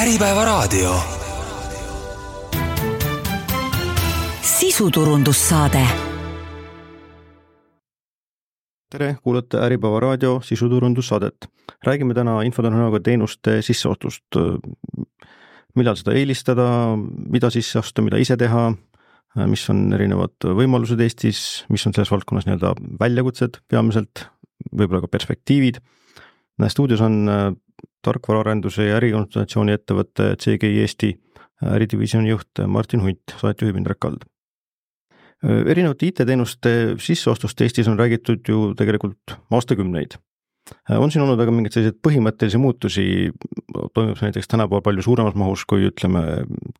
Äripäevaraadio. Sisuturundussaade. Tere, kuulate Äripäevaraadio sisuturundussaadet. Räägime täna infotehnoloogia teenuste sisseostust. Millal seda eelistada, mida sisse osta, mida ise teha, mis on erinevad võimalused Eestis, mis on selles valdkonnas nii-öelda väljakutsed peamiselt, võib-olla ka perspektiivid. Stuudios on tarkvaraarenduse ja ärikonsultatsiooni ettevõtte CGI Eesti äridivisiooni juht Martin Hunt, saatejuhib Indrek Kald. Erinevate IT-teenuste sisseostust Eestis on räägitud ju tegelikult aastakümneid. On siin olnud aga mingeid selliseid põhimõttelisi muutusi, toimub näiteks tänapäeval palju suuremas mahus kui ütleme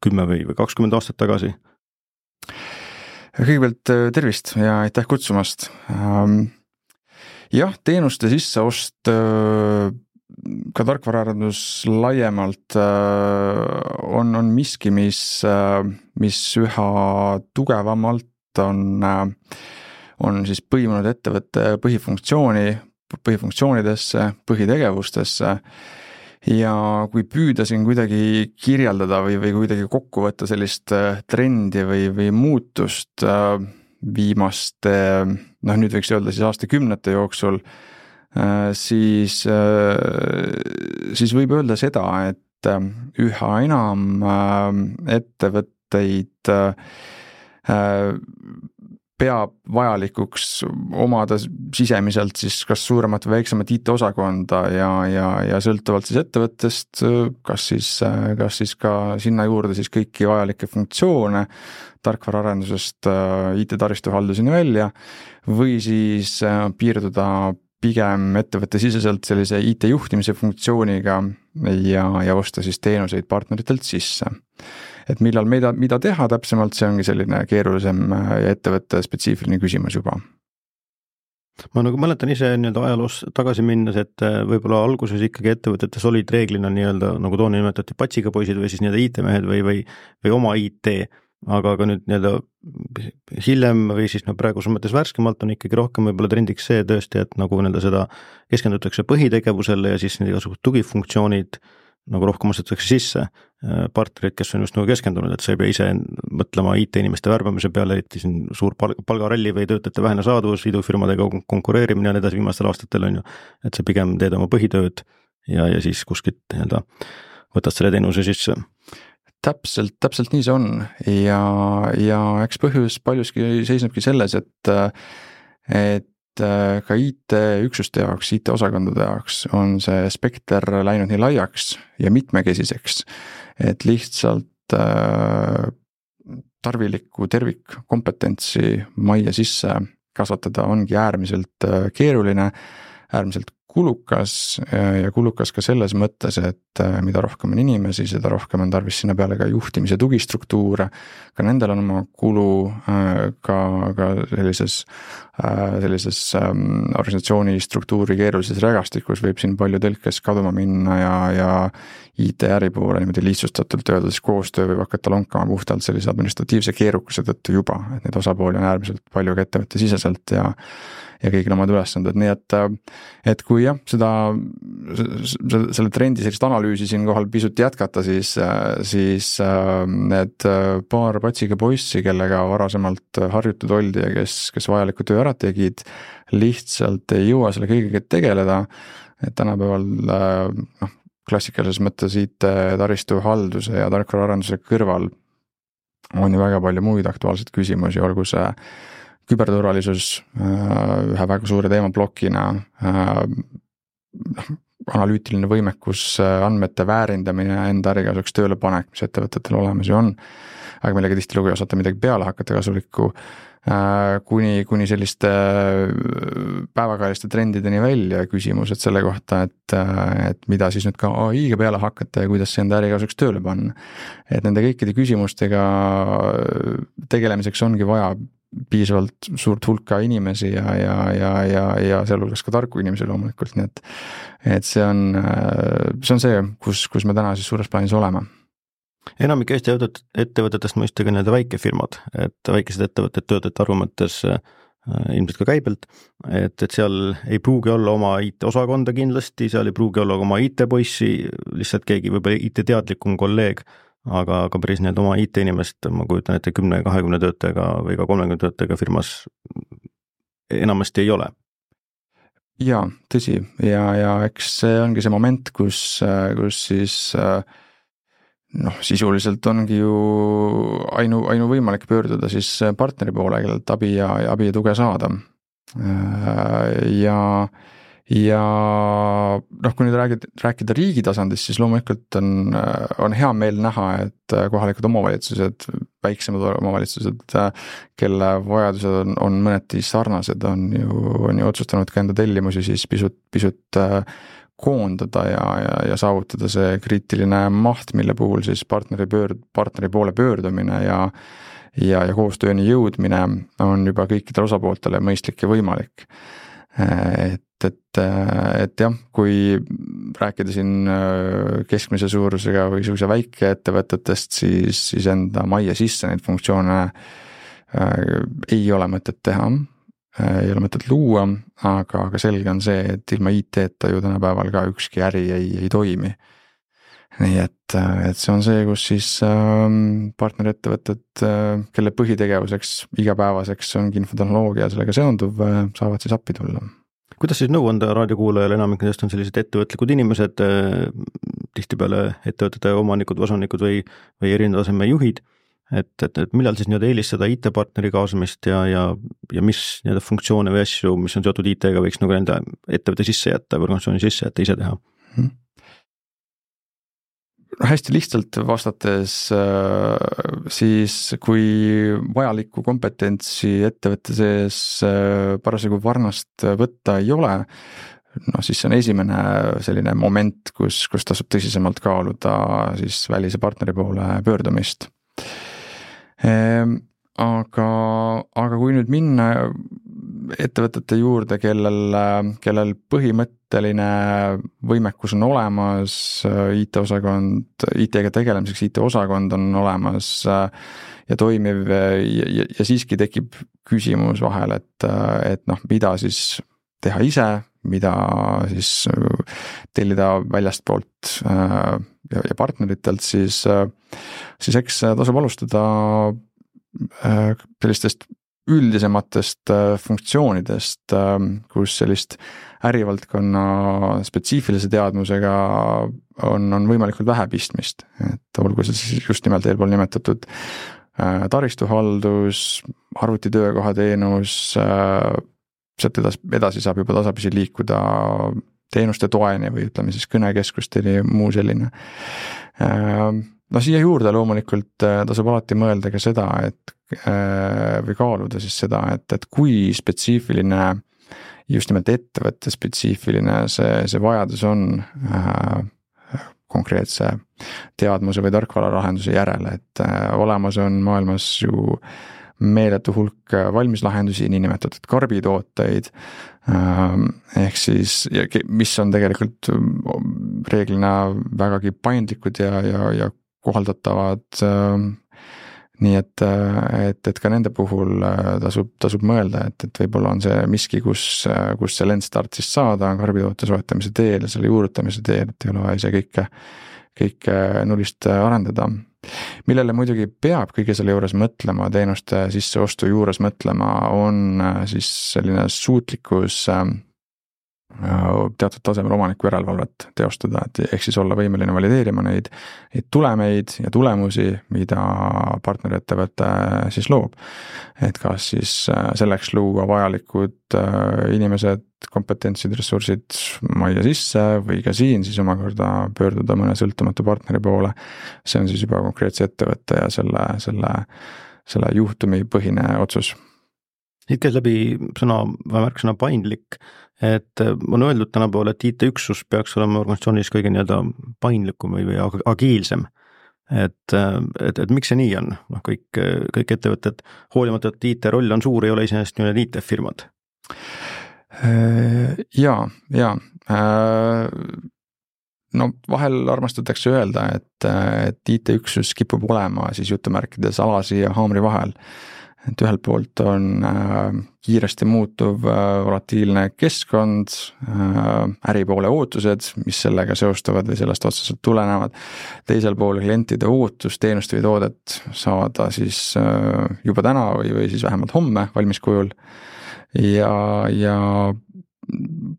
10 või 20 aastat tagasi? Kõigepealt tervist ja aitäh kutsumast. Jah, teenuste sisseost ka tarkvaraarendus laiemalt on miski, mis üha tugevamalt on siis põimunud ettevõtte põhifunktsioonidesse, põhitegevustesse ja kui püüda siin kuidagi kirjeldada või kuidagi kokku võtta sellist trendi või muutust viimaste, nüüd võiks öelda siis aastakümnete jooksul, siis võib öelda seda, et üha enam ettevõtteid peab vajalikuks omada sisemiselt siis kas suuremat või väiksemat IT-osakonda ja sõltuvalt siis ettevõttest, kas siis ka sinna juurde siis kõiki vajalikke funktsioone tarkvaraarendusest IT-taristuhalduseni välja või siis piirduda pigem ettevõtte siseselt sellise IT-juhtimise funktsiooniga ja osta siis teenuseid partneritelt sisse. Et millal mida teha täpsemalt, see ongi selline keerulisem ja ettevõtte spetsiifiline küsimus juba. Ma nagu mäletan ise nii-öelda ajaloos tagasi minnes, et võib-olla alguses ikkagi ettevõtetes olid reeglina nii-öelda, nagu toona nimetati patsiga poisid või siis nii-öelda IT-mehed või oma IT, aga nüüd nii-öelda hiljem või siis praeguses mõttes värskemalt on ikkagi rohkem võib-olla trendiks see tõesti, et nagu nii-öelda seda keskendutakse põhitegevusele ja siis need igasugused tugifunktsioonid nagu rohkem ostetakse sisse partnerid, kes on just nagu keskendunud, et sa ei pea ise mõtlema IT-inimeste värbamise peale, eriti siin suur palgaralli või töötajate vähene saaduvus, idufirmadega konkureerimine ja edasi viimastel aastatel on ju, et sa pigem teed oma põhitööd ja siis kuskilt nii-öelda võtad selle teenuse sisse. Täpselt nii see on ja eks põhjus paljuski seisnebki selles, et ka IT-üksuste jaoks, IT-osakondade jaoks on see spekter läinud nii laiaks ja mitmekesiseks, et lihtsalt tarvilikku tervikkompetentsi majja sisse kasvatada ongi äärmiselt keeruline, äärmiselt kulukas ja kulukas ka selles mõttes, et mida rohkem on inimesi, seda rohkem on tarvis sinna peale ka juhtimise tugistruktuure, ka nendel on oma kulu ka sellises organisatsiooni struktuuri keerulises rägastikus võib siin palju tõlkes kaduma minna ja IT-äri poole niimoodi lihtsustatult öeldes koostöö võib hakata lonkama puhtalt sellise administratiivse keerukuse tõttu juba, et need osapooli on äärmiselt palju ka ettevõtte siseselt ja kõigil omad ülesanded, nii et kui jah, selle trendi sellist analüüsi siin kohal pisut jätkata, siis need paar patsiga poissi, kellega varasemalt harjutud oldi ja kes vajaliku töö ära tegid, lihtsalt ei jõua selle kõigega tegeleda, et tänapäeval klassikalises mõttes IT-taristu halduse ja tarkvaraarenduse kõrval on ju väga palju muid aktuaalseid küsimusi, olgu see küberturvalisus ühe väga suure teemablokina, analüütiline võimekus, andmete väärindamine, enda ärikasuks tööle panek, mis ettevõtetel olemas ju on, aga millega tihtilugu ei osata midagi peale hakata kasulikku, kuni selliste päevakajaliste trendideni välja küsimused selle kohta, et mida siis nüüd ka AI-ga peale hakata ja kuidas see enda ärikasuks tööle panna. Et nende kõikide küsimustega tegelemiseks ongi vaja piisavalt suurt hulka inimesi ja sealhulgas ka tarku inimesi loomulikult, nii et see on see, kus me täna siis suures plaanis oleme. Enamik Eesti ettevõtetest mõistagi need väikefirmad, et väikesed ettevõtted töötajate arvu mõttes ilmselt ka käibelt, et seal ei pruugi olla oma IT-osakonda kindlasti, seal ei pruugi olla oma IT-poissi, lihtsalt keegi võib-olla IT-teadlikum kolleeg, aga päris need oma IT-inimest, ma kujutan ette 10-20 töötajaga või ka 30 töötajaga firmas enamasti ei ole. Jaa, tõsi, ja eks see ongi see moment, kus siis sisuliselt ongi ju ainuvõimalik pöörduda siis partneri poole, kellelt abi ja tuge saada. Ja kui nüüd rääkida riigi tasandist, siis loomulikult on hea meel näha, et kohalikud omavalitsused, väiksemad omavalitsused, kelle vajadused on mõneti sarnased, on ju otsustanud ka enda tellimusi siis pisut koondada ja saavutada see kriitiline maht, mille puhul siis partneri poole pöördumine ja koostööni jõudmine on juba kõikidele osapooltele mõistlik ja võimalik. Et jah, kui rääkida siin keskmise suurusega või sellise väikeettevõtetest, siis enda majja sisse neid funktsioone ei ole mõtet teha, ei ole mõtet luua, aga selge on see, et ilma IT-ta ju tänapäeval ka ükski äri ei toimi. Nii et see on see, kus siis partnerettevõtted, kelle põhitegevuseks igapäevaseks ongi infotehnoloogia sellega seonduv, saavad siis appi tulla. Kuidas siis nõu anda raadiokuulajale, enamik nendest on sellised ettevõtlikud inimesed, tihtipeale ettevõtete omanikud, osanikud või erineva taseme juhid, et millal siis eelistada IT-partneri kaasamist ja mis funktsioone või asju, mis on seotud IT-ga, võiks nende ettevõtte sisse jätta või organisatsiooni sisse jätta, ise teha? Hästi lihtsalt vastates, siis kui vajalikku kompetentsi ettevõtte sees parasjagu varnast võtta ei ole, siis see on esimene selline moment, kus tasub tõsisemalt kaaluda siis välise partneri poole pöördumist. Aga kui nüüd minna ettevõtete juurde, kellel põhimõtteline võimekus on olemas, IT-ga tegelemiseks IT-osakond on olemas ja toimiv ja siiski tekib küsimus vahel, et mida siis teha ise, mida siis tellida väljastpoolt ja partneritelt, siis eks tasub alustada sellistest üldisematest funktsioonidest, kus sellist ärivaldkonna spetsiifilise teadmusega on võimalikult vähe pistmist, et olgu see siis just nimelt eelpool nimetatud taristuhaldus, arvutitöökohateenus, sealt edasi saab juba tasapisi liikuda teenuste toeni või ütleme siis kõnekeskusteni ja muu selline. Siia juurde loomulikult tasub alati mõelda ka seda, või kaaluda siis seda, et kui spetsiifiline, just nimelt ettevõtte spetsiifiline see vajadus on konkreetse teadmuse või tarkvaralahenduse järele, et olemas on maailmas ju meeletu hulk valmislahendusi, niinimetatud karbitooteid, ehk siis, mis on tegelikult reeglina vägagi paindlikud ja kohaldatavad, nii et ka nende puhul tasub mõelda, et võib-olla on see miski, kus see lendstart siis saada karbitoote soetamise teel ja selle juurutamise teel, et ei ole vaja ise kõike nullist arendada. Millele muidugi peab kõige selle juures mõtlema, teenuste sisseostu juures mõtlema, on siis selline suutlikkus teatud tasemel omaniku järelevalvet teostada, et ehk siis olla võimeline valideerima neid tulemeid ja tulemusi, mida partneriettevõte siis loob. Et kas siis selleks luua vajalikud inimesed, kompetentsid, ressursid majja sisse või ka siin siis omakorda pöörduda mõne sõltumatu partneri poole. See on siis juba konkreetse ettevõtte ja selle juhtumi põhine otsus. Siit käis läbi märksõna paindlik, et on öeldud tänapäeval, et IT-üksus peaks olema organisatsioonis kõige paindlikum või agiilsem. Et miks see nii on? Kõik ettevõtted, hoolimata, et IT-roll on suur, ei ole iseenesest need IT-firmad. Jaa. Vahel armastatakse öelda, et IT-üksus kipub olema siis jutumärkides alasi ja haamri vahel. et ühelt poolt on kiiresti muutuv volatiilne keskkond, äripoole ootused, mis sellega seostuvad või sellest otseselt tulenevad, teisel pool klientide ootus teenust või toodet saada siis juba täna või siis vähemalt homme valmis kujul ja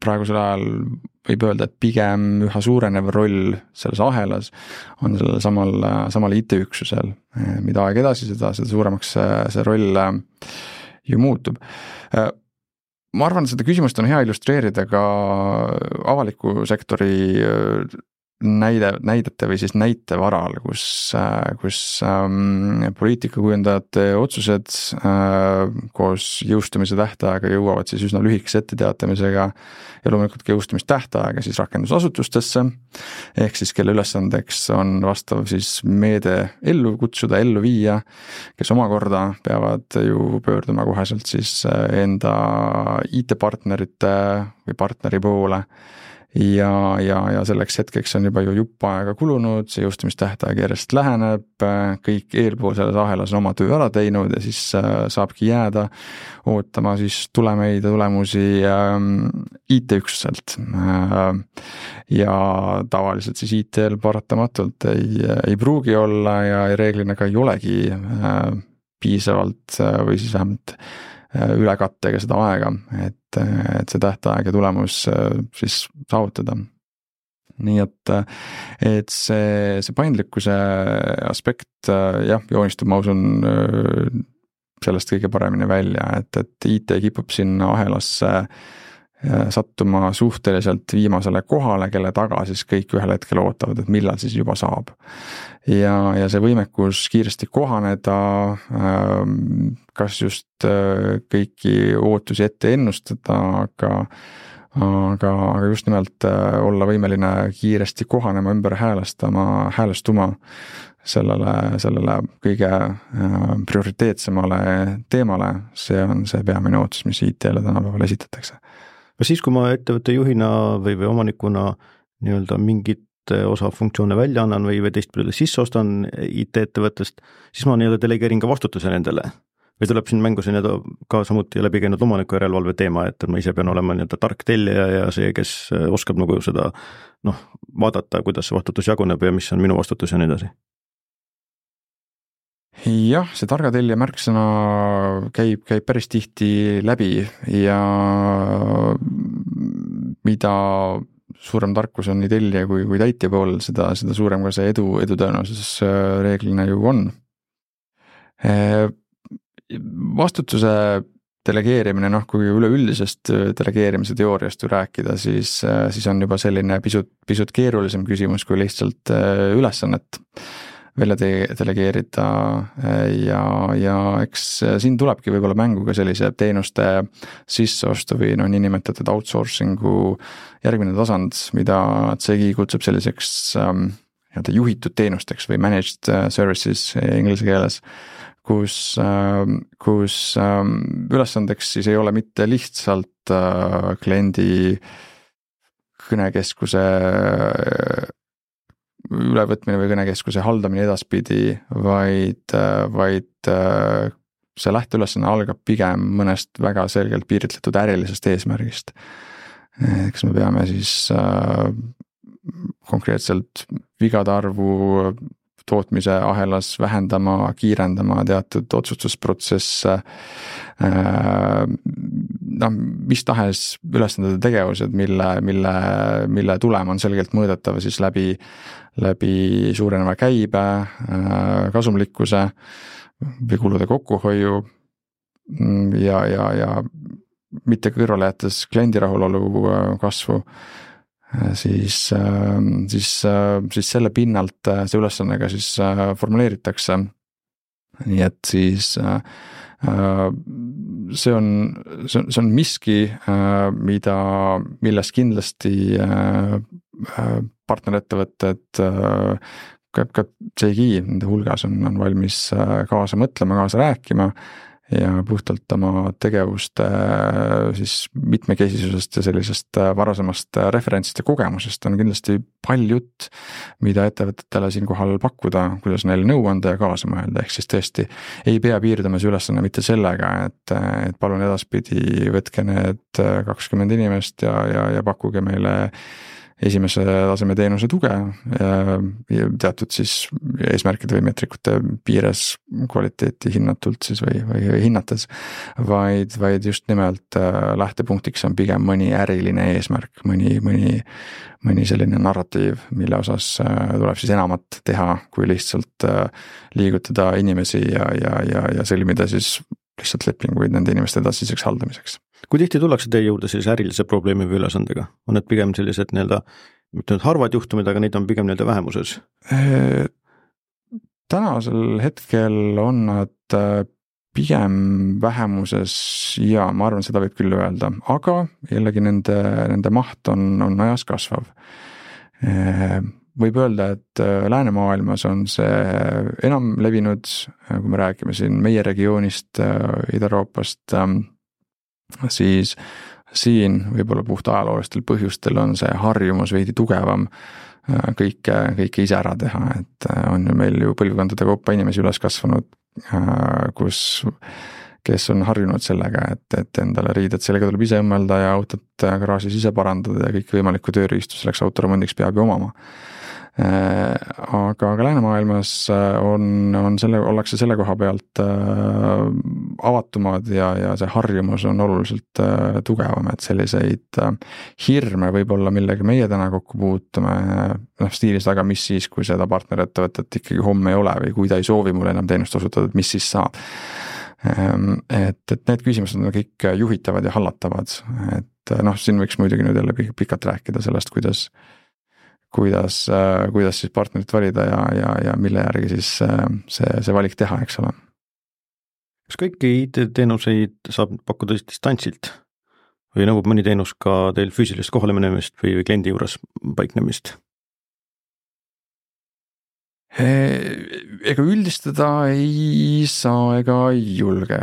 praegusel ajal võib öelda, et pigem üha suurenev roll selles ahelas on sellel samal IT-üksusel, mida aeg edasi, seda suuremaks see roll ju muutub. Ma arvan, seda küsimust on hea illustreerida ka avaliku sektori näidete või siis näite varal, kus poliitikakujundajate otsused koos jõustumise tähtaega jõuavad siis üsna lühikese etteteatamisega ja loomulikult ka jõustumistähtaega siis rakendusasutustesse, ehk siis kelle ülesandeks on vastav siis meede ellu kutsuda, ellu viia, kes omakorda peavad ju pöörduma koheselt siis enda IT-partnerite või partneri poole ja selleks hetkeks on juba ju jupp aega kulunud, see jõustumistähtaeg järjest läheneb, kõik eelpool selles ahelas on oma töö ära teinud ja siis saabki jääda ootama siis tulemeid ja tulemusi IT-üksuselt. Ja tavaliselt siis IT-l paratamatult ei pruugi olla ja reeglina ka ei olegi piisavalt või siis vähemalt ülekattega seda aega, et see tähtaeg ja tulemus siis saavutada. Nii et see paindlikkuse aspekt joonistub, ma usun, sellest kõige paremini välja, et IT kipub sinna ahelasse sattuma suhteliselt viimasele kohale, kelle taga siis kõik ühel hetkel ootavad, et millal siis juba saab. Ja see võimekus kiiresti kohaneda, kas just kõiki ootusi ette ennustada, aga just nimelt olla võimeline kiiresti kohanema, ümber häälestuma sellele kõige prioriteetsemale teemale, see on see peamine ootus, mis IT-le tänapäeval esitatakse. Aga siis, kui ma ettevõtte juhina või omanikuna nii-öelda mingit osa funktsioone välja annan või teistpidi sisse ostan IT-ettevõttest, siis ma nii-öelda delegeerin ka vastutuse nendele. Või tuleb siin mängu ka samuti läbi käinud omaniku järelevalve teema, et ma ise pean olema nii-öelda tark tellija ja see, kes oskab nagu seda vaadata, kuidas see vastutus jaguneb ja mis on minu vastutus ja nii edasi. Jah, see targa tellija märksõna käib päris tihti läbi ja mida suurem tarkus on nii tellija kui täitja pool, seda suurem ka see edu tõenäosus reeglina ju on. Vastutuse delegeerimine, kui üleüldisest delegeerimise teooriast rääkida, siis on juba selline pisut keerulisem küsimus kui lihtsalt ülesannet välja delegeerida ja eks siin tulebki võib-olla mängu ka sellise teenuste sisseostu või niinimetatud outsourcingu järgmine tasand, mida CGI kutsub selliseks juhitud teenusteks või managed services inglise keeles, kus ülesandeks siis ei ole mitte lihtsalt kliendi kõnekeskuse ülevõtmine või kõnekeskuse haldamine edaspidi, vaid see lähteülesanne algab pigem mõnest väga selgelt piiritletud ärilisest eesmärgist. Eks me peame siis konkreetselt vigade arvu tootmise ahelas vähendama, kiirendama teatud otsustusprotsesse, mis tahes ülesandade tegevused, mille tulem on selgelt mõõdetav siis läbi suureneva käibe, kasumlikkuse või kulude kokkuhoiu ja mitte kõrvale jättes kliendi rahulolu kasvu, siis selle pinnalt see ülesannega siis formuleeritakse. Nii et siis see on miski, milles kindlasti partnerettevõtted ka CGI nende hulgas on valmis kaasa mõtlema, kaasa rääkima ja puhtalt oma tegevuste siis mitmekesisusest ja sellisest varasemast referentsist ja kogemusest on kindlasti palju jutt, mida ettevõtetele siinkohal pakkuda, kuidas neile nõu anda ja kaasa mõelda, ehk siis tõesti ei pea piirduma see ülesanne mitte sellega, et palun edaspidi võtke need 20 inimest ja pakkuge meile esimese taseme teenuse tuge ja teatud siis eesmärkide või meetrikute piires kvaliteeti hinnatult siis või hinnates, vaid just nimelt lähtepunktiks on pigem mõni äriline eesmärk, mõni selline narratiiv, mille osas tuleb siis enamat teha, kui lihtsalt liigutada inimesi ja sõlmida siis lihtsalt lepinguid nende inimeste edasiseks haldamiseks. Kui tihti tullakse teie juurde sellise ärilise probleemi või ülesandega? On need pigem sellised mitte nüüd harvad juhtumid, aga neid on pigem vähemuses? Tänasel hetkel on nad pigem vähemuses ja ma arvan, seda võib küll öelda, aga jällegi nende maht on ajas kasvav. Võib öelda, et läänemaailmas on see enam levinud, kui me räägime siin meie regioonist, Ida-Euroopast, siis siin võib-olla puht ajaloolistel põhjustel on see harjumus veidi tugevam kõike ise ära teha, et on ju meil ju põlvkondade kaupa inimesi üles kasvanud, kes on harjunud sellega, et endale riided sellega tuleb ise õmmelda ja autot garaažis ise parandada ja kõik võimalikku tööriistu selleks autoremondiks peab ju omama. Aga läänemaailmas ollakse selle koha pealt avatumad ja see harjumus on oluliselt tugevam, et selliseid hirme võib-olla, millega meie täna kokku puutume, stiilis aga mis siis, kui seda partnerettevõtet ikkagi homme ei ole või kui ta ei soovi mulle enam teenust osutada, et mis siis saab. Et need küsimused on kõik juhitavad ja hallatavad, et siin võiks muidugi nüüd jälle pikalt rääkida sellest, kuidas siis partnerit valida ja mille järgi siis see valik teha, eks ole. Kas kõiki IT-teenuseid saab pakkuda distantsilt või nõuab mõni teenus ka teil füüsilist kohale minemist või kliendi juures paiknemist? Ega üldistada ei saa ega ei julge,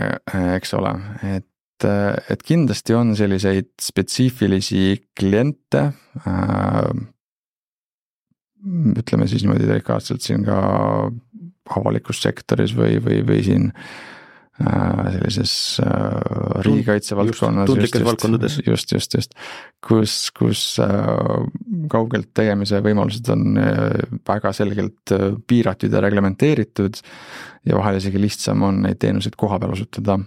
eks ole, et kindlasti on selliseid spetsiifilisi kliente, ütleme siis niimoodi delikaatselt siin ka avalikus sektoris või siin sellises riigikaitse valdkonnas, tundlikes valdkondades. Just, kus kaugelt tegemise võimalused on väga selgelt piiratud ja reglementeeritud ja vahel isegi lihtsam on neid teenuseid koha peal osutada.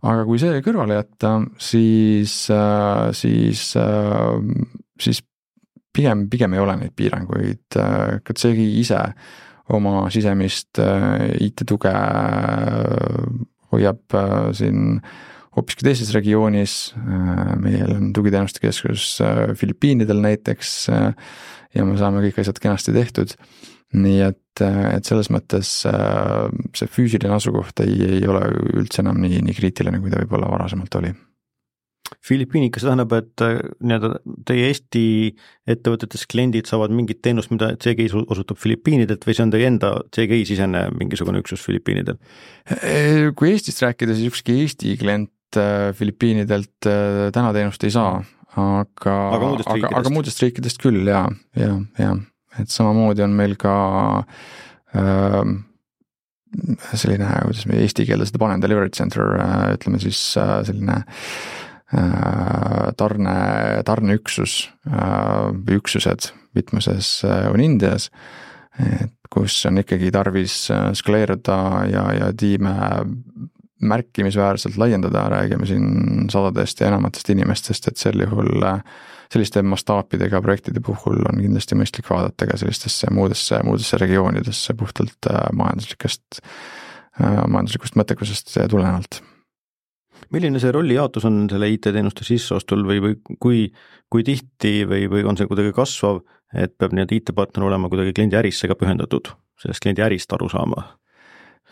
Aga kui see kõrvale jätta, siis pigem ei ole neid piiranguid, seegi ise oma sisemist IT-tuge hoiab siin hoopiski teises regioonis, meil on tugiteenuste keskus Filipiinidel näiteks ja me saame kõik asjad kenasti tehtud, nii et selles mõttes see füüsiline asukoht ei ole üldse enam nii kriitiline, kui ta võib-olla varasemalt oli. Filipiinid, kas tähendab, et teie Eesti ettevõtetes kliendid saavad mingit teenust, mida CGI osutab Filipiinidelt või see on teie enda CGI-sisene mingisugune üksus Filipiinidel? Kui Eestist rääkida, siis ükski Eesti klient Filipiinidelt täna teenust ei saa, aga muudest riikidest küll, ja. Et samamoodi on meil ka selline, kuidas me eesti keelde seda panen, delivery center, ütleme siis selline tarneüksus või üksused mitmuses on Indias, kus on ikkagi tarvis skaleeruda ja tiime märkimisväärselt laiendada, räägime siin sadadest ja enamatest inimestest, et sel juhul selliste mastaapidega projektide puhul on kindlasti mõistlik vaadata ka sellistesse muudesse regioonidesse puhtalt majanduslikust mõttekusest tulenevalt. Milline see rollijaotus on selle IT-teenuste sisseostul või kui tihti või on see kuidagi kasvav, et peab nii IT-partner olema kuidagi kliendi ärisse ka pühendatud, sellest kliendi ärist aru saama?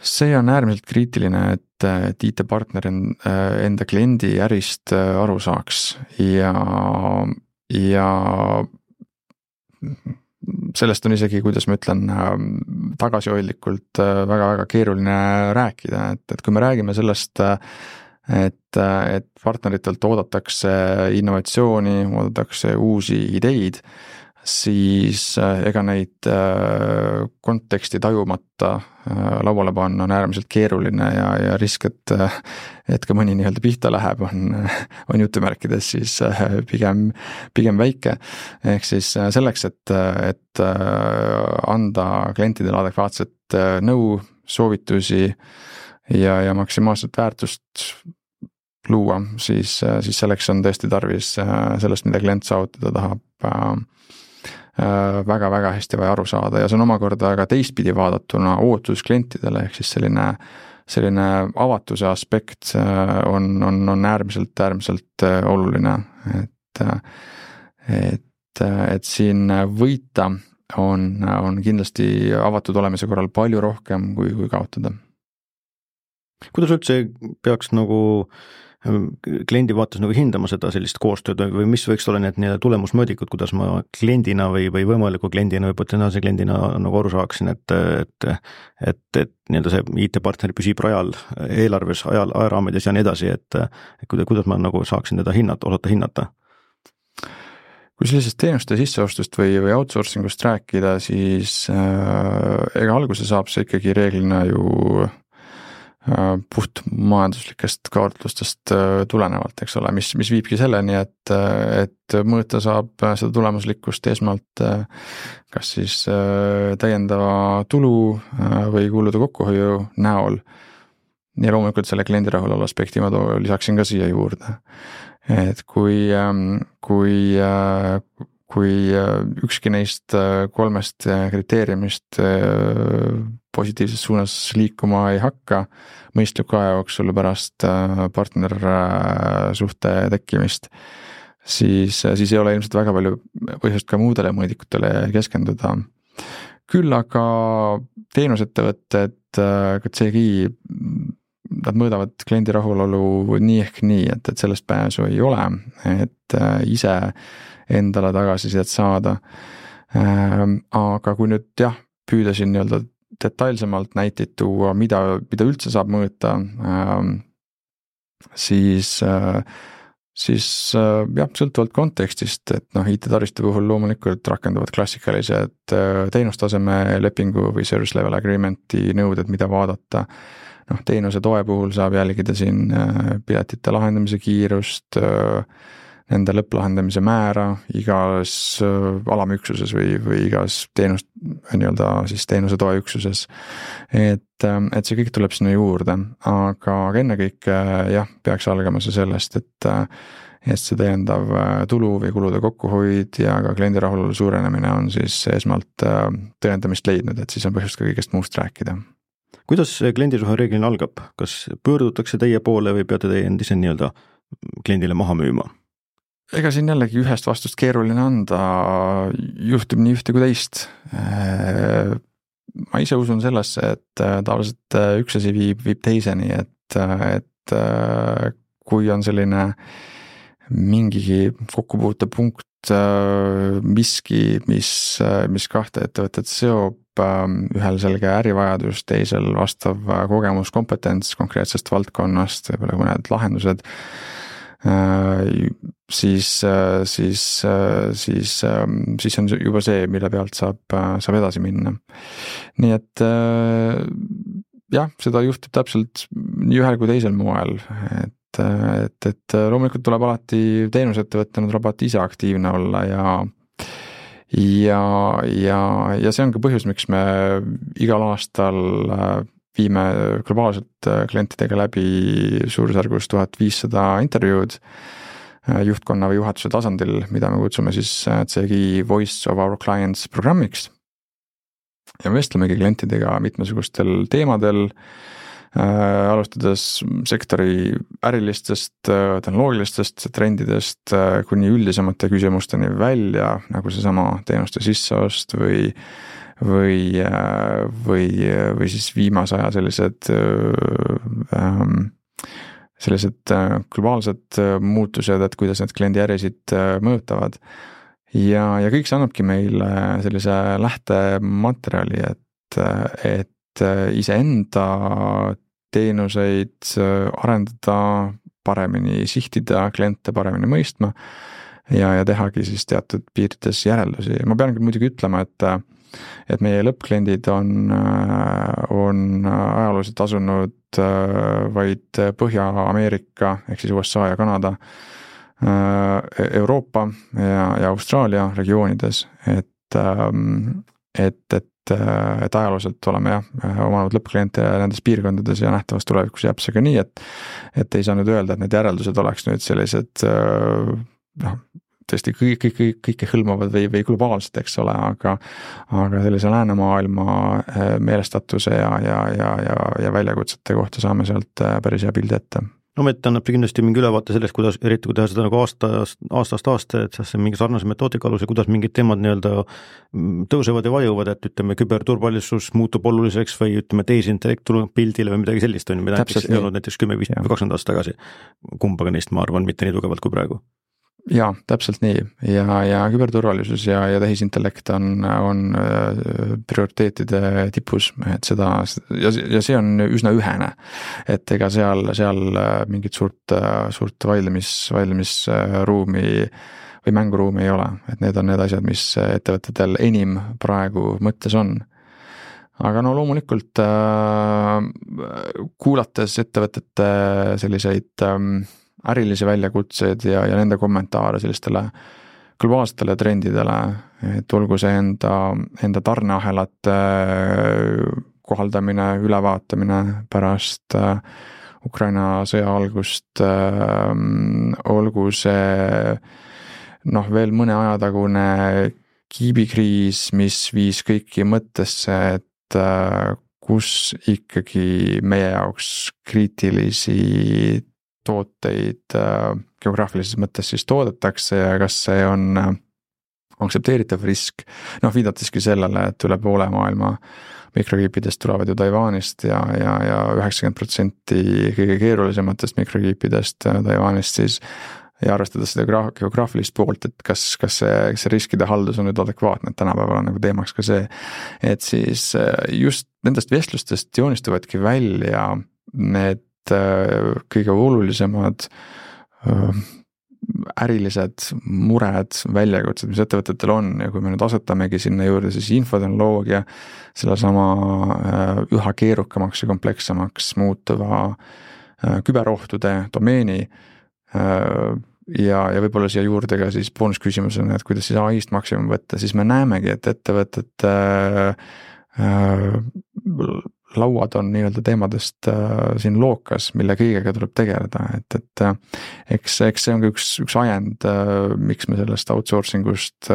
See on äärmiselt kriitiline, et IT-partner enda kliendi ärist aru saaks ja sellest on isegi, kuidas ma ütlen, tagasihoidlikult väga-väga keeruline rääkida, et kui me räägime sellest, et partneritelt oodatakse innovatsiooni, oodatakse uusi ideid, siis ega neid konteksti tajumata lauale panna on äärmiselt keeruline ja risk, et ka mõni nii-öelda pihta läheb, on jutumärkides siis pigem väike. Ehk siis selleks, et anda klientidele adekvaatset nõu, soovitusi ja maksimaalset väärtust luua, siis selleks on tõesti tarvis sellest, mida klient saavutada tahab, väga-väga hästi vaja aru saada ja see on omakorda ka teistpidi vaadatuna ootus klientidele, ehk siis selline avatuse aspekt on äärmiselt oluline, et siin võita on kindlasti avatud olemise korral palju rohkem kui kaotada. Kuidas üldse peaks nagu kliendi vaates nagu hindama seda sellist koostööd või mis võiks olla need tulemusmõõdikud, kuidas ma kliendina või võimaliku kliendina või potentsiaalse kliendina nagu aru saaksin, et nii-öelda see IT-partner püsib rajal, eelarves, ajaraamides ja nii edasi, et kuidas ma nagu saaksin teda osata hinnata? Kui sellisest teenuste sisseostust või outsourcingust rääkida, siis ega alguse saab see ikkagi reeglina ju puht majanduslikest kaalutlustest tulenevalt, eks ole, mis viibki selleni, et mõõta saab seda tulemuslikkust esmalt kas siis täiendava tulu või kulude kokkuhoiu näol. Ja loomulikult selle kliendi rahulolu aspekti ma lisaksin ka siia juurde. Et kui ükski neist kolmest kriteeriumist positiivses suunas liikuma ei hakka mõistliku aja jooksul pärast partnersuhte tekkimist, siis ei ole ilmselt väga palju põhjust ka muudele mõõdikutele keskenduda. Küll aga teenusettevõtted, ka CGI, nad mõõdavad kliendi rahulolu nii ehk nii, et sellest pääsu ei ole, et ise endale tagasisidet saada. Aga kui nüüd püüda siin nii-öelda detailsemalt näiteid tuua, mida üldse saab mõõta, siis sõltuvalt kontekstist, et IT-taristu puhul loomulikult rakenduvad klassikalised teenustaseme lepingu või service level agreement'i nõuded, mida vaadata. Teenuse toe puhul saab jälgida siin piletite lahendamise kiirust, nende lõpplahendamise määra igas alamüksuses või igas teenuse toeüksuses. Et see kõik tuleb sinna juurde, aga ennekõike peaks algama see sellest, et see täiendav tulu või kulude kokkuhoid ja ka kliendi rahulolu suurenemine on siis esmalt tõendamist leidnud, et siis on põhjust ka kõigest muust rääkida. Kuidas kliendisuhe reeglina algab? Kas pöördutakse teie poole või peate teie endise nii-öelda kliendile maha müüma? Ega siin jällegi ühest vastust keeruline anda, juhtub nii ühte kui teist. Ma ise usun sellesse, et tavaliselt üks asi viib teiseni, et kui on selline mingigi kokkupuutepunkt, miski, mis kahte ettevõtet seob, ühel selge ärivajadus, teisel vastav kogemus, kompetents konkreetsest valdkonnast, võib-olla mõned lahendused, siis on juba see, mille pealt saab edasi minna. Nii et seda juhtub täpselt nii ühel kui teisel moel, et loomulikult tuleb alati teenusettevõttena tuleb alati ise aktiivne olla ja see on ka põhjus, miks me igal aastal viime globaalselt klientidega läbi suurusjärgus 1500 intervjuud juhtkonna või juhatuse tasandil, mida me kutsume siis CGI Voice of Our Clients programmiks. Ja me vestlemegi klientidega mitmesugustel teemadel, alustades sektori ärilistest, tehnoloogilistest trendidest kuni üldisemate küsimusteni välja, nagu seesama teenuste sisseost või siis viimase aja sellised globaalsed muutused, et kuidas need kliendi ärisid mõjutavad. Ja kõik see annabki meile sellise lähtematerjali, et iseenda teenuseid arendada, paremini sihtida, kliente paremini mõistma ja tehagi siis teatud piirides järeldusi. Ma pean küll muidugi ütlema, et meie lõppkliendid on ajalooliselt asunud vaid Põhja-Ameerika ehk siis USA ja Kanada, Euroopa ja Austraalia regioonides, et ajalooliselt oleme omanud lõppkliente nendes piirkondades ja nähtavas tulevikus jääb see ka nii, et ei saa nüüd öelda, et need järeldused oleks nüüd sellised tõesti kõike hõlmavad või globaalsed, eks ole, aga sellise läänemaailma meelestatuse ja väljakutsete kohta saame sealt päris hea pildi ette. No Met annab kindlasti mingi ülevaate sellest, kuidas, eriti kui teha seda nagu aastast aasta, et see mingi sarnase metoodika alus ja kuidas mingid teemad nii-öelda tõusevad ja vajuvad, et ütleme, küberturvalisus muutub oluliseks või ütleme, tehisintellekt tuleb pildile või midagi sellist on, mida näiteks ei olnud näiteks 10, 15 või 20 aastat tagasi. Kumbaga neist, ma arvan, mitte nii tugevalt kui praegu. Jaa, täpselt nii ja küberturvalisus ja tehisintellekt on prioriteetide tipus, et seda ja see on üsna ühene, et ega seal mingit suurt vaidlemisruumi või mänguruumi ei ole, et need on need asjad, mis ettevõtetel enim praegu mõttes on. Aga no loomulikult kuulates ettevõtete selliseid ärilisi väljakutseid ja nende kommentaare sellistele globaalsetele trendidele, et olgu see enda tarneahelate kohaldamine, ülevaatamine pärast Ukraina sõja algust, olgu see veel mõne aja tagune kiibikriis, mis viis kõiki mõttesse, et kus ikkagi meie jaoks kriitilisi tooteid geograafilises mõttes siis toodetakse ja kas see on aktsepteeritav risk. Viidateski sellele, et üle poole maailma mikrokiipidest tulevad ju Taiwanist ja 90% kõige keerulisematest mikrokiipidest Taiwanist siis ja arvestades seda geograafilist poolt, et kas see riskide haldus on nüüd adekvaatne, et tänapäeval on nagu teemaks ka see, et siis just nendest vestlustest joonistuvadki välja need kõige olulisemad ärilised mured, väljakutsed, mis ettevõtetel on ja kui me nüüd asetamegi sinna juurde siis infotehnoloogia, selle sama üha keerukamaks ja komplekssemaks muutuva küberohtude domeeni ja võib-olla siia juurde ka siis boonusküsimusena, et kuidas siis AI-st maksimum võtta, siis me näemegi, et ettevõtete lauad on nii-öelda teemadest siin lookas, mille kõigega tuleb tegeleda, et eks see on ka üks ajend, miks me sellest outsourcingust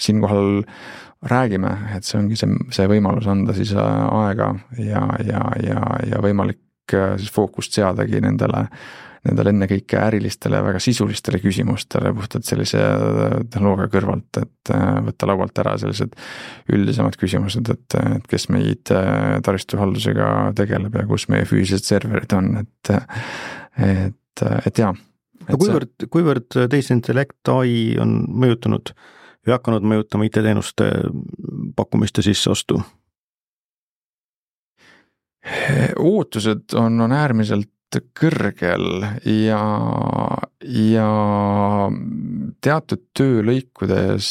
siinkohal räägime, et see ongi see võimalus anda siis aega ja võimalik siis fookust seadagi nendele ennekõike ärilistele väga sisulistele küsimustele puhtalt sellise tehnoloogia kõrvalt, et võtta laualt ära sellised üldisemad küsimused, et kes meid taristuhaldusega tegeleb ja kus meie füüsilised serverid on, et jaa. Kuivõrd tehisintellekt AI on mõjutanud või hakanud mõjutama IT-teenuste pakkumiste sisseostu? Ootused on äärmiselt kõrgel ja teatud töölõikudes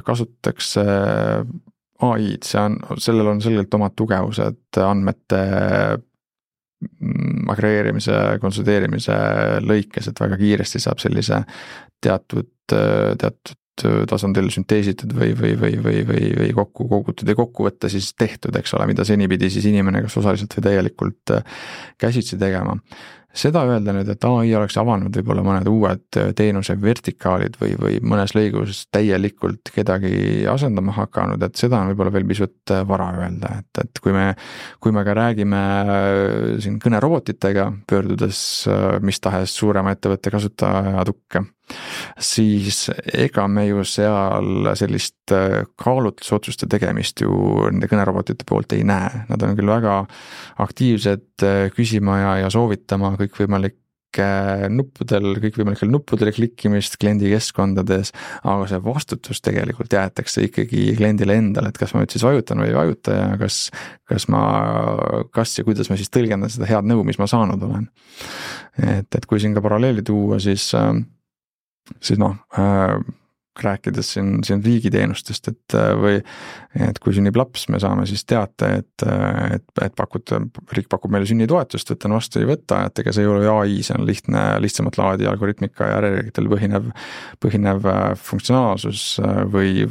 kasutatakse AI-d, sellel on selgelt omad tugevused, andmete agregeerimise, konsolideerimise lõikes, et väga kiiresti saab sellise teatud tasandil sünteesitud või kokku kogutud ja kokkuvõtte siis tehtud, eks ole, mida seni pidi siis inimene kas osaliselt või täielikult käsitsi tegema. Seda öelda nüüd, et AI oleks avanud võib-olla mõned uued teenuse vertikaalid või mõnes lõigus täielikult kedagi asendama hakanud, et seda on võib-olla veel pisut vara öelda, et kui me ka räägime siin kõnerobotitega, pöördudes mis tahes suurema ettevõtte kasutaja tukke, siis ega me ju seal sellist kaalutlusotsuste tegemist ju nende kõnerobotite poolt ei näe. Nad on küll väga aktiivsed küsima ja soovitama kõikvõimalikke kõikvõimalikel nuppudel klikkimist kliendi keskkondades, aga see vastutus tegelikult jäetakse ikkagi kliendile endale, et kas ma nüüd siis vajutan või ei vajuta ja kas ja kuidas ma siis tõlgendan seda head nõu, mis ma saanud olen. Et kui siin ka paralleeli tuua, siis rääkides siin riigiteenustest, et kui sünnib laps, me saame siis teate, et riik pakub meile sünnitoetust, võtan vastu, ei võta, et ega see ei ole AI, see on lihtsamat laadi algoritmika ja järjegitel põhinev funktsionaalsus või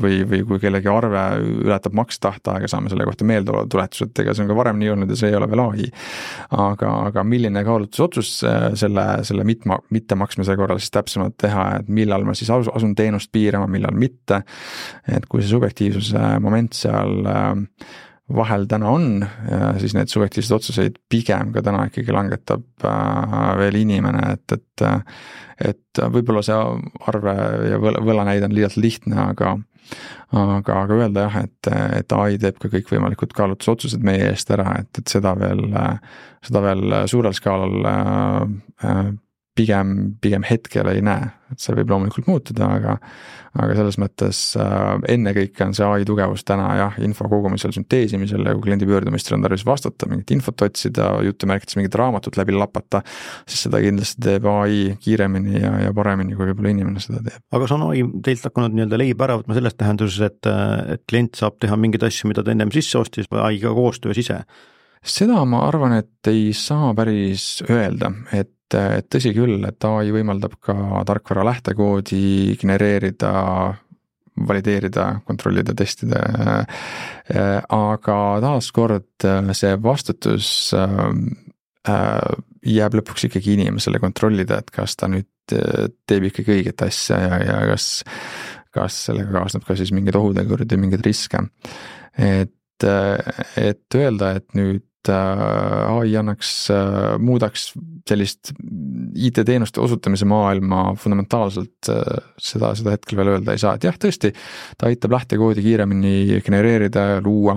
kui kellegi arve ületab makstahtaaega, saame selle kohta meeldetuletused, ega see on ka varem nii olnud ja see ei ole veel AI. Aga milline kaalutlusotsus selle mittemaksmise korral siis täpsemalt teha, et millal ma siis asun teenust piirama, millal mitte, et kui see subjektiivsuse moment seal vahel täna on, siis need subjektiivsed otsuseid pigem ka täna ikkagi langetab veel inimene, et võib-olla see arve ja võlanäide on liialt lihtne, aga öelda jah, et AI teeb ka kõik võimalikud kaalutlusotsused meie eest ära, et seda veel suurel skaalal pigem hetkel ei näe, et see võib loomulikult muutuda, aga selles mõttes ennekõike on see AI tugevus täna jah, info kogumisel, sünteesimisel ja kui kliendi pöördumistele on tarvis vastata, mingit infot otsida, jutumärkides mingit raamatut läbi lapata, siis seda kindlasti teeb AI kiiremini ja paremini, kui võib-olla inimene seda teeb. Aga see on AI teilt hakanud nii-öelda leiba ära võtma selles tähenduses, et klient saab teha mingeid asju, mida ta ennem sisse ostis või AI-ga koostöös ise? Seda ma arvan, et ei saa päris öelda, et tõsi küll, et AI võimaldab ka tarkvara lähtekoodi genereerida, valideerida, kontrollida, testida, aga taaskord see vastutus jääb lõpuks ikkagi inimesele kontrollida, et kas ta nüüd teeb ikkagi õiget asja ja kas sellega kaasneb ka siis mingid ohutegurid ja mingid riske. Et öelda, et nüüd AI muudaks sellist IT-teenuste osutamise maailma fundamentaalselt, seda hetkel veel öelda ei saa, et jah, tõesti, ta aitab lähtekoodi kiiremini genereerida ja luua,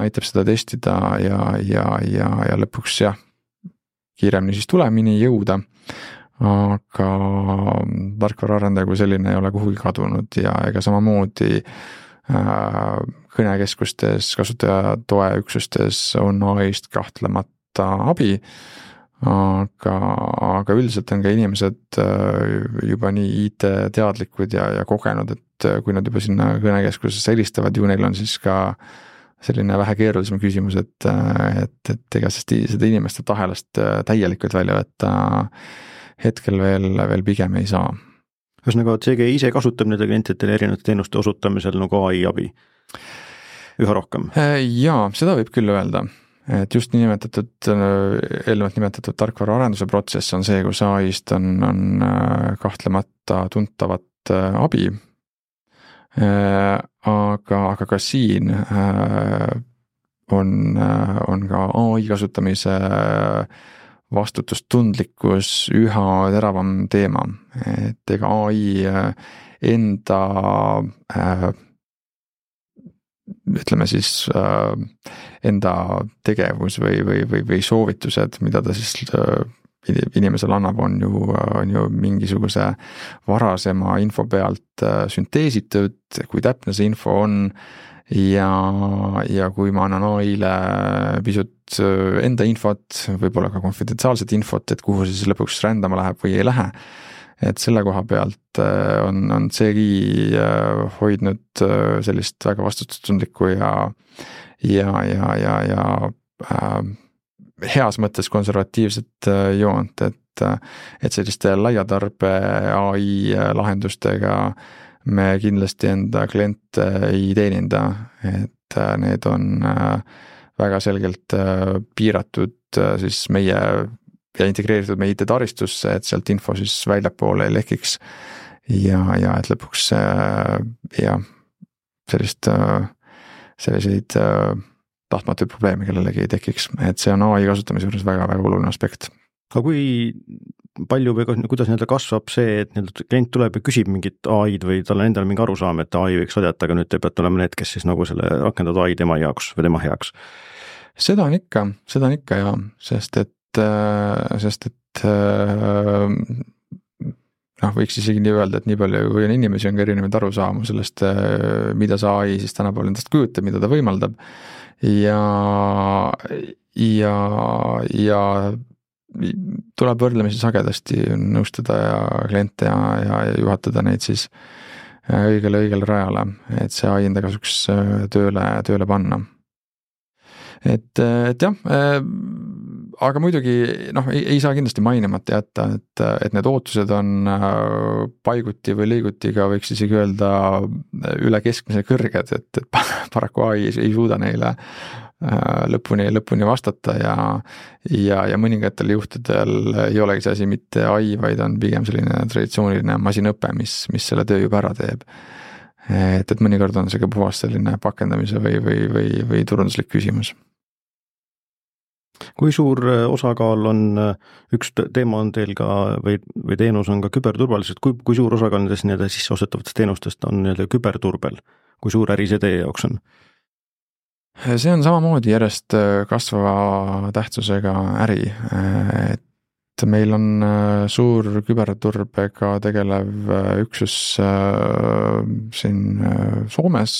aitab seda testida ja lõpuks jah, kiiremini siis tulemini jõuda, aga tarkvaraarendaja kui selline ei ole kuhugi kadunud ja ega samamoodi kõnekeskustes, kasutajatoeüksustes on AI-st kahtlemata abi, aga üldiselt on ka inimesed juba nii IT-teadlikud ja kogenud, et kui nad juba sinna kõnekeskusesse helistavad, ju neil on siis ka selline vähe keerulisem küsimus, et ega seda inimeste tahelast täielikult välja võtta hetkel veel pigem ei saa. Ühesõnaga, CG ise kasutab nende klientidele erinevate teenuste osutamisel nagu AI abi üha rohkem? Jaa, seda võib küll öelda, et just eelnevalt nimetatud tarkvaraarenduse protsess on see, kus AI-st on kahtlemata tuntavat abi, aga ka siin on ka AI kasutamise vastutustundlikkus üha teravam teema, et ega AI ütleme siis enda tegevus või soovitused, mida ta siis inimesele annab, on ju mingisuguse varasema info pealt sünteesitud, kui täpne see info on ja kui ma annan AI-le pisut enda infot, võib-olla ka konfidentsiaalset infot, et kuhu see siis lõpuks rändama läheb või ei lähe. Et selle koha pealt on CGI hoidnud sellist väga vastutustundlikku ja heas mõttes konservatiivset joont, et selliste laiatarbe AI lahendustega me kindlasti enda kliente ei teeninda, et need on väga selgelt piiratud siis meie ja integreeritud meie IT-taristusse, et sealt info siis väljapoole ei lekiks ja et lõpuks selliseid tahtmatuid probleeme kellelegi ei tekiks, et see on AI kasutamise juures väga-väga oluline aspekt. Aga kui palju või kuidas nii-öelda kasvab see, et nii-öelda klient tuleb ja küsib mingit AI-d või tal on endal mingi arusaam, et AI võiks aidata, aga nüüd te peate olema need, kes siis nagu selle rakendavad AI tema jaoks või tema heaks? Seda on ikka ja sest et võiks isegi nii öelda, et nii palju kui on inimesi, on ka erinevaid arusaamu sellest, mida see AI siis tänapäeval endast kujutab, mida ta võimaldab ja tuleb võrdlemisi sagedasti nõustada ja kliente ja juhatada neid siis õigele rajale, et see AI enda kasuks tööle panna. Et jah, aga muidugi ei saa kindlasti mainimata jätta, et need ootused on paiguti või liiguti ka võiks isegi öelda üle keskmise kõrged, et paraku AI ei suuda neile lõpuni vastata ja mõningatel juhtudel ei olegi see asi mitte AI, vaid on pigem selline traditsiooniline masinõpe, mis selle töö juba ära teeb. Et mõnikord on see ka puhas selline pakendamise või turunduslik küsimus. Kui suur osakaal on, üks teema on teil ka või teenus on ka küberturvaliselt, kui suur osakaal nendest sisseostetavatest teenustest on küberturbel, kui suur äri see teie jaoks on? See on samamoodi järjest kasvava tähtsusega äri, et meil on suur küberturbega tegelev üksus siin Soomes,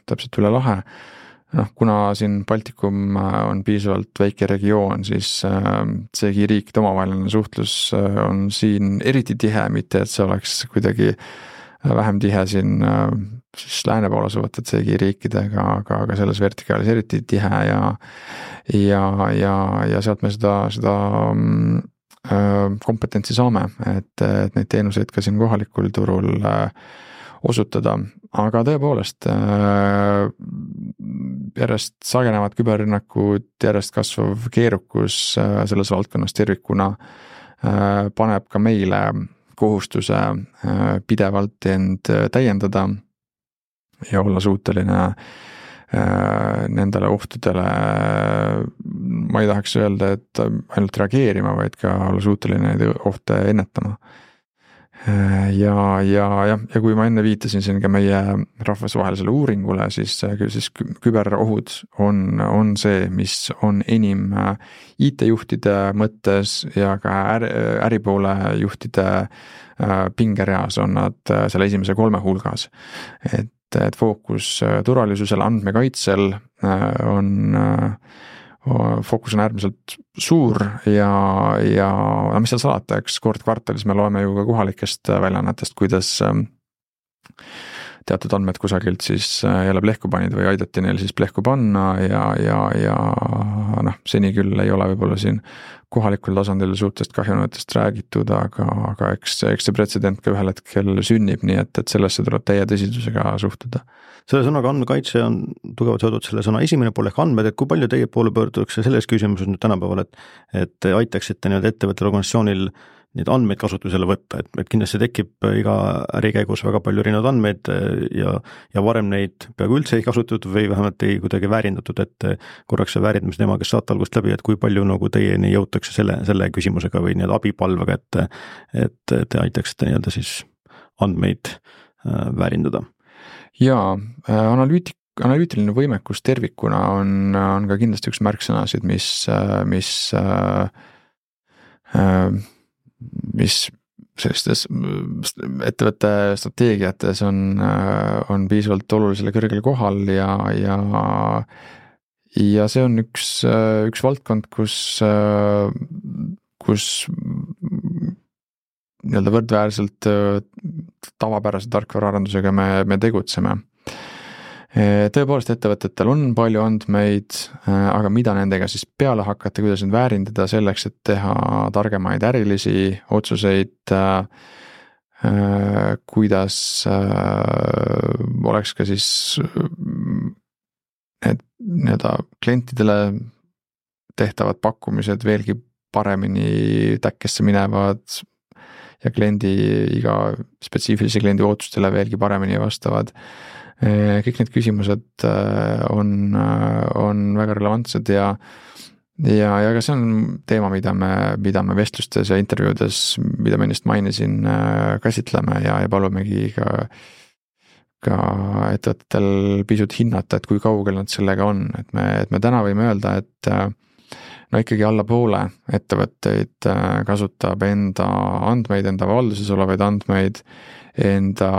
täpselt üle lahe. Kuna siin Baltikum on piisavalt väike regioon, siis seegi riikide omavaheline suhtlus on siin eriti tihe, mitte et see oleks kuidagi vähem tihe siin siis lääne pool asuvate seegi riikidega, aga selles vertikaalis eriti tihe ja sealt me seda kompetentsi saame, et neid teenuseid ka siin kohalikul turul osutada, aga tõepoolest järjest sagenevad küberrünnakud, järjest kasvav keerukus selles valdkonnas tervikuna paneb ka meile kohustuse pidevalt end täiendada ja olla suuteline nendele ohtudele, ma ei tahaks öelda, et ainult reageerima, vaid ka olla suuteline neid ohte ennetama. Ja kui ma enne viitasin siin ka meie rahvusvahelisele uuringule, siis küberohud on see, mis on enim IT-juhtide mõttes ja ka äripoole juhtide pingereas on nad selle esimese 3 hulgas. Et fookus turvalisusel, andmekaitsel fookus on äärmiselt suur ja mis seal salata, eks kord kvartalis me loeme ju ka kohalikest väljaannetest, kuidas teatud andmed kusagilt siis jälle plehku panid või aidati neil siis plehku panna ja seni küll ei ole võib-olla siin kohalikul tasandil suurtest kahjunõuetest räägitud, aga eks see pretsedent ka ühel hetkel sünnib, nii et sellesse tuleb täie tõsidusega suhtuda. Selle sõnaga andmekaitse on tugevalt seotud selle sõna esimene pool ehk andmed, et kui palju teie poole pöördutakse selles küsimuses nüüd tänapäeval, et aitaksite ettevõttel organisatsioonil neid andmeid kasutusele võtta, et kindlasti tekib iga äri käigus väga palju erinevaid andmeid ja varem neid peaaegu üldse ei kasutatud või vähemalt ei kuidagi väärindatud, et korraks see väärindamise teema, kes saate algust läbi, et kui palju teieni jõutakse selle küsimusega või abipalvega, et te aitaksite siis andmeid väärindada. Jaa, analüütiline võimekus tervikuna on ka kindlasti üks märksõnasid, mis sellistes ettevõtte strateegiates on piisavalt olulisele kõrgel kohal ja see on üks valdkond, kus nii-öelda võrdväärselt tavapärase tarkvaraarendusega me tegutseme. Tõepoolest ettevõtetel on palju andmeid, aga mida nendega siis peale hakata, kuidas need väärindada selleks, et teha targemaid ärilisi otsuseid, kuidas oleks ka siis need nii-öelda klientidele tehtavad pakkumised veelgi paremini täkkesse minevad ja iga spetsiifilise kliendi ootustele veelgi paremini vastavad. Kõik need küsimused on väga relevantsed ja ka see on teema, mida me vestlustes ja intervjuudes, mida ma ennast mainisin, käsitleme ja palumegi ka ettevõtetel pisut hinnata, et kui kaugel nad sellega on, et me täna võime öelda, no ikkagi alla poole ettevõtteid kasutab enda andmeid, enda valduses olevaid andmeid, enda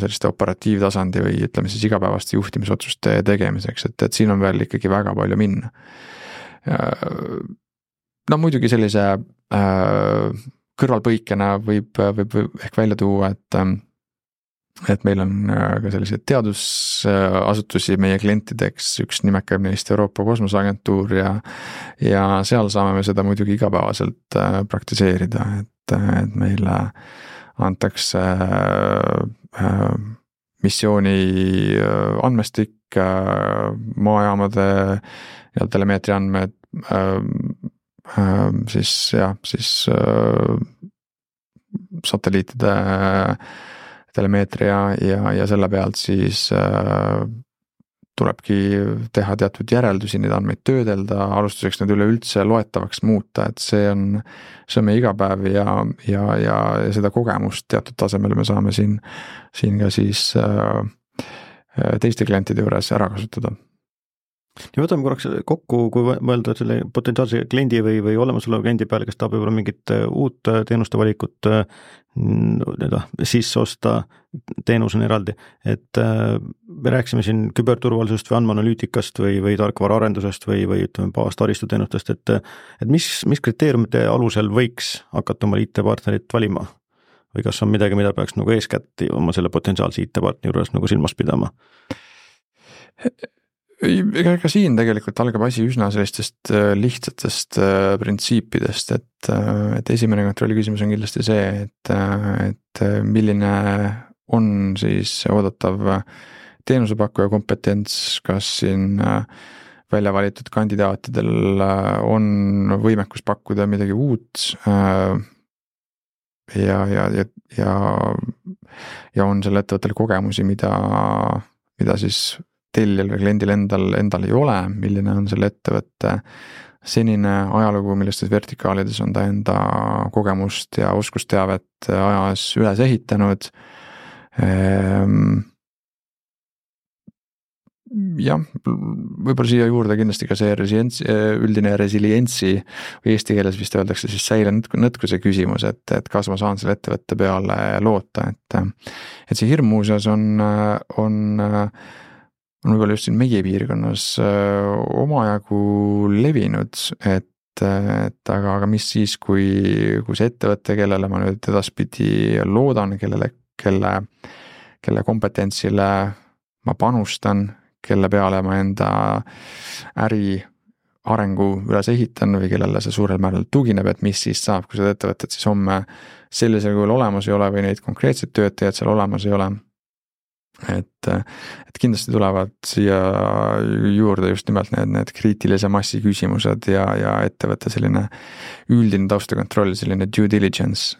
selliste operatiivtasandi või ütleme siis igapäevaste juhtimisotsuste tegemiseks, et siin on veel ikkagi väga palju minna. No muidugi sellise kõrvalpõikena võib ehk välja tuua, et meil on ka selliseid teadusasutusi meie klientideks, üks nimekab neist Euroopa Kosmoseagentuur ja seal saame me seda muidugi igapäevaselt praktiseerida, et meile antakse missiooni andmestik, maajaamade ja telemeetria andmed, siis satelliitide telemeetria ja selle pealt siis tulebki teha teatud järeldusi, neid andmeid töödelda, alustuseks need üleüldse loetavaks muuta, et see on meie igapäev ja seda kogemust teatud tasemel me saame siin ka siis teiste klientide juures ära kasutada. Ja võtame korraks kokku, kui mõelda selle potentsiaalse kliendi või olemasoleva kliendi peale, kes tahab võib-olla mingit uut teenuste valikut sisse osta, teenus on eraldi, et me rääkisime siin küberturvalisusest või andmeanalüütikast või tarkvaraarendusest või ütleme baastaristuteenustest, et mis kriteeriumite alusel võiks hakata oma IT-partnerit valima? Või kas on midagi, mida peaks nagu eeskätt oma selle potentsiaalse IT-partneri juures nagu silmas pidama? Ega siin tegelikult algab asi üsna sellistest lihtsatest printsiipidest, et esimene kontrolli küsimus on kindlasti see, et milline on siis oodatav teenusepakkuja kompetents, kas siin välja valitud kandidaatidel on võimekus pakkuda midagi uut ja on selle ettevõttel kogemusi, mida siis tellijal või kliendil endal ei ole, milline on selle ettevõtte senine ajalugu, millistes vertikaalides on ta enda kogemust ja oskusteavet ajas üles ehitanud. Jah, võib-olla siia juurde kindlasti ka see üldine resilientsi või eesti keeles vist öeldakse siis säile nõtkuse küsimus, et kas ma saan selle ettevõtte peale loota, et see hirm muuseas on võib-olla just siin meie piirkonnas omajagu levinud, et aga mis siis, kui see ettevõte, kellele ma nüüd edaspidi loodan, kelle kompetentsile ma panustan, kelle peale ma enda äri arengu üles ehitan või kellele see suurel määral tugineb, et mis siis saab, kui seda ettevõtet siis homme sellisel kujul olemas ei ole või neid konkreetseid töötajaid seal olemas ei ole. Et kindlasti tulevad siia juurde just nimelt need kriitilise massi küsimused ja ettevõtte selline üldine taustakontroll, selline due diligence,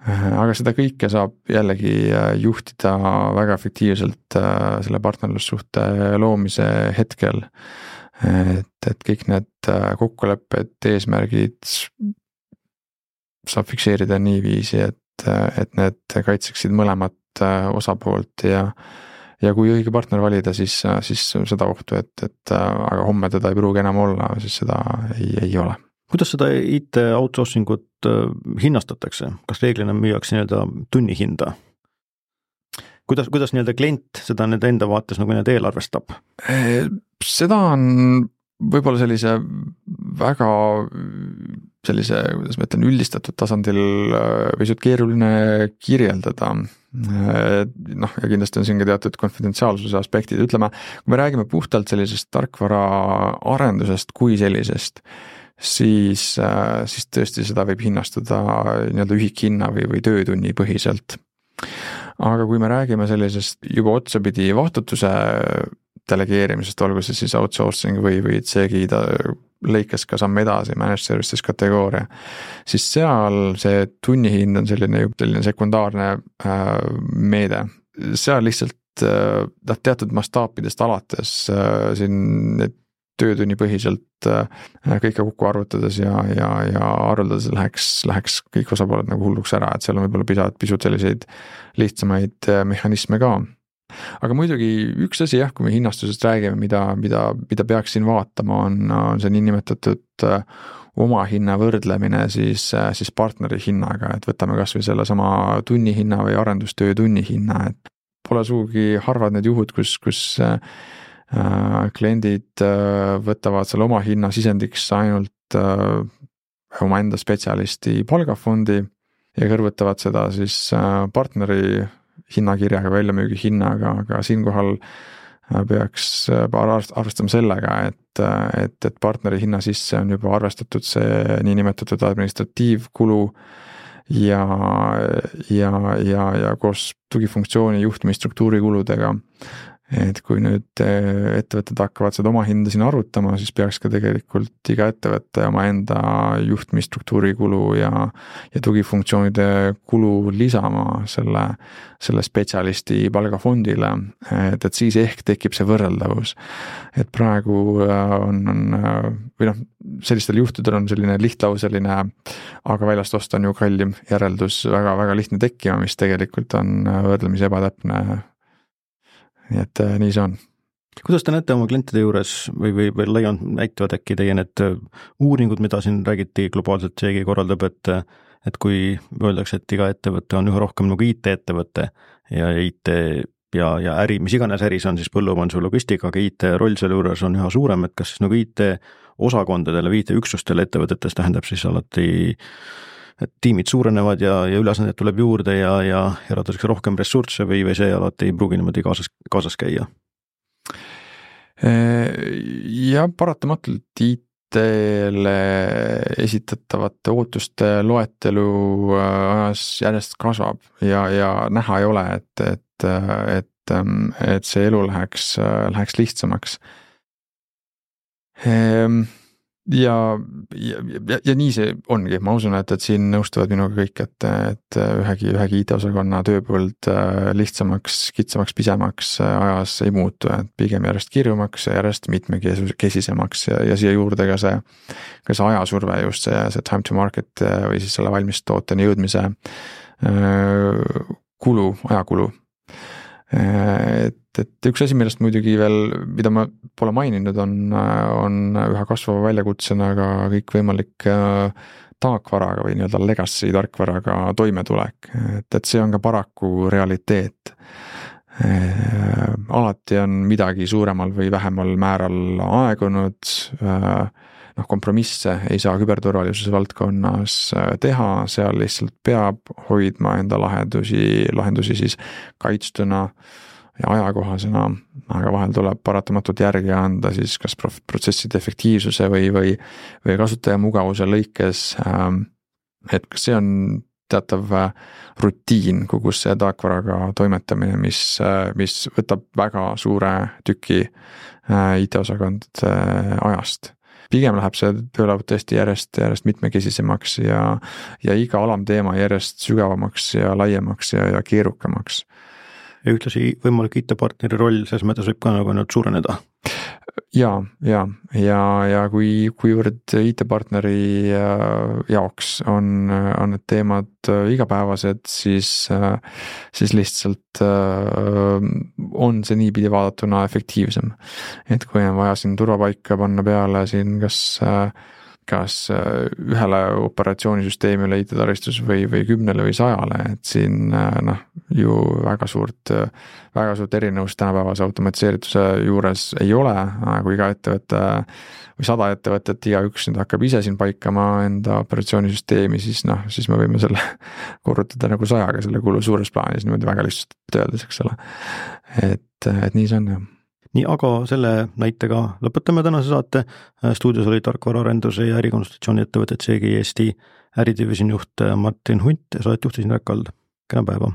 aga seda kõike saab jällegi juhtida väga efektiivselt selle partnerlussuhte loomise hetkel, et kõik need kokkulepped, eesmärgid saab fikseerida niiviisi, et need kaitseksid mõlemat osapoolt ja kui õige partner valida, siis seda ohtu, et aga homme teda ei pruugi enam olla, siis seda ei ole. Kuidas seda IT outsourcingut hinnastatakse? Kas reeglina müüakse nii-öelda tunnihinda? Kuidas nii-öelda klient seda nende enda vaates nagu need eelarvestab? Seda on võib-olla sellise väga sellise, kuidas ma ütlen, üldistatud tasandil pisut keeruline kirjeldada. Ja kindlasti on siin ka teatud konfidentsiaalsuse aspektid. Ütleme, kui me räägime puhtalt sellisest tarkvara arendusest kui sellisest, siis tõesti seda võib hinnastada nii-öelda ühikhinna või töötunni põhiselt. Aga kui me räägime sellisest juba otsapidi vastutuse delegeerimisest, olgu see siis outsourcing või CGI lõikes ka samm edasi, managed services kategooria, siis seal see tunnihind on selline sekundaarne meede. Seal lihtsalt teatud mastaapidest alates siin need töötunni põhiselt kõike kokku arvutades ja arvuldades läheks kõik osapooled nagu hulluks ära, et seal on võib-olla pisut selliseid lihtsamaid mehhanisme ka. aga muidugi üks asi jah, kui me hinnastusest räägime, mida peaks siin vaatama, on see niinimetatud oma hinna võrdlemine siis partneri hinnaga, et võtame kas või selle sama tunnihinna või arendustöö tunnihinna, et pole sugugi harvad need juhud, kus kliendid võtavad selle oma hinna sisendiks ainult omaenda spetsialisti palgafondi ja kõrvutavad seda siis partneri hinnakirjaga, väljamüügi hinnaga, aga siinkohal peaks arvestama sellega, et partneri hinna sisse on juba arvestatud see niinimetatud administratiivkulu ja koos tugifunktsiooni juhtimisstruktuuri kuludega. Et kui nüüd ettevõtted hakkavad seda oma hinda siin arvutama, siis peaks ka tegelikult iga ettevõtte oma enda juhtimisstruktuuri kulu ja tugifunktsioonide kulu lisama selle spetsialisti palgafondile, et siis ehk tekib see võrreldavus. Et praegu või sellistel juhtudel on selline lihtlauseline, aga väljast osta on ju kallim järeldus väga, väga lihtne tekkima, mis tegelikult on võrdlemisi ebatäpne. Nii et nii see on. Kuidas te näete oma klientide juures või laiemalt näitavad äkki teie need uuringud, mida siin räägiti globaalselt seegi korraldab, et kui öeldakse, et iga ettevõte on üha rohkem nagu IT-ettevõte ja IT ja äri, mis iganes äris on siis põllumajanduse logistika, aga IT roll selle juures on üha suurem, et kas siis nagu IT-osakondadele või IT-üksustele ettevõtetes tähendab siis alati et tiimid suurenevad ja ülesandeid tuleb juurde ja eraldatakse rohkem ressursse või see alati ei pruugi niimoodi kaasas käia? Ja paratamatult IT-le esitatavate ootuste loetelu ajas järjest kasvab ja näha ei ole, et see elu läheks lihtsamaks. Ja nii see ongi, ma usun, et siin nõustuvad minuga kõik, et ühegi IT-osakonna tööpõld lihtsamaks, kitsamaks, pisemaks ajas ei muutu, et pigem järjest kirjumaks ja järjest mitmekesisemaks ja siia juurde ka see ajasurve, just see time to market või siis selle valmis tooteni jõudmise ajakulu. Et üks asi, millest muidugi veel, mida ma pole maininud, on üha kasvava väljakutsena ka kõikvõimalik taakvaraga või nii-öelda legacy tarkvaraga toimetulek, et see on ka paraku realiteet. Alati on midagi suuremal või vähemal määral aegunud, kompromisse ei saa küberturvalisuse valdkonnas teha, seal lihtsalt peab hoidma enda lahendusi siis kaitstuna ja ajakohasena, aga vahel tuleb paratamatult järgi anda siis kas protsesside efektiivsuse või kasutaja mugavuse lõikes, et kas see on teatav rutiin, kus see taakvaraga toimetamine, mis võtab väga suure tüki IT-osakondade ajast. Pigem läheb see töölaud tõesti järjest mitmekesisemaks ja iga alamteema järjest sügavamaks ja laiemaks ja keerukamaks. Ja ühtlasi võimalik IT-partneri roll selles mõttes võib ka nagu nüüd suureneda. Ja kuivõrd IT-partneri jaoks on need teemad igapäevased, siis lihtsalt on see niipidi vaadatuna efektiivsem. Et kui on vaja siin turvapaika panna peale siin kas ühele operatsioonisüsteemile IT-taristus või 10 või 100, et siin ju väga suurt erinevust tänapäevase automatiseerituse juures ei ole, kui iga ettevõte või 100 ettevõtet igaüks nüüd hakkab ise siin paikama enda operatsioonisüsteemi, siis me võime selle korrutada nagu 100-ga selle kulu suures plaanis, niimoodi väga lihtsalt öeldes, eks ole. Et nii see on jah. Nii, aga selle näitega lõpetame tänase saate. Stuudios oli tarkvaraarenduse ja ärikonsultatsiooni ettevõtet CGI Eesti äridivisiooni juht Martin Hunt ja saadet juhtisin Räkk Kald. Kena päeva!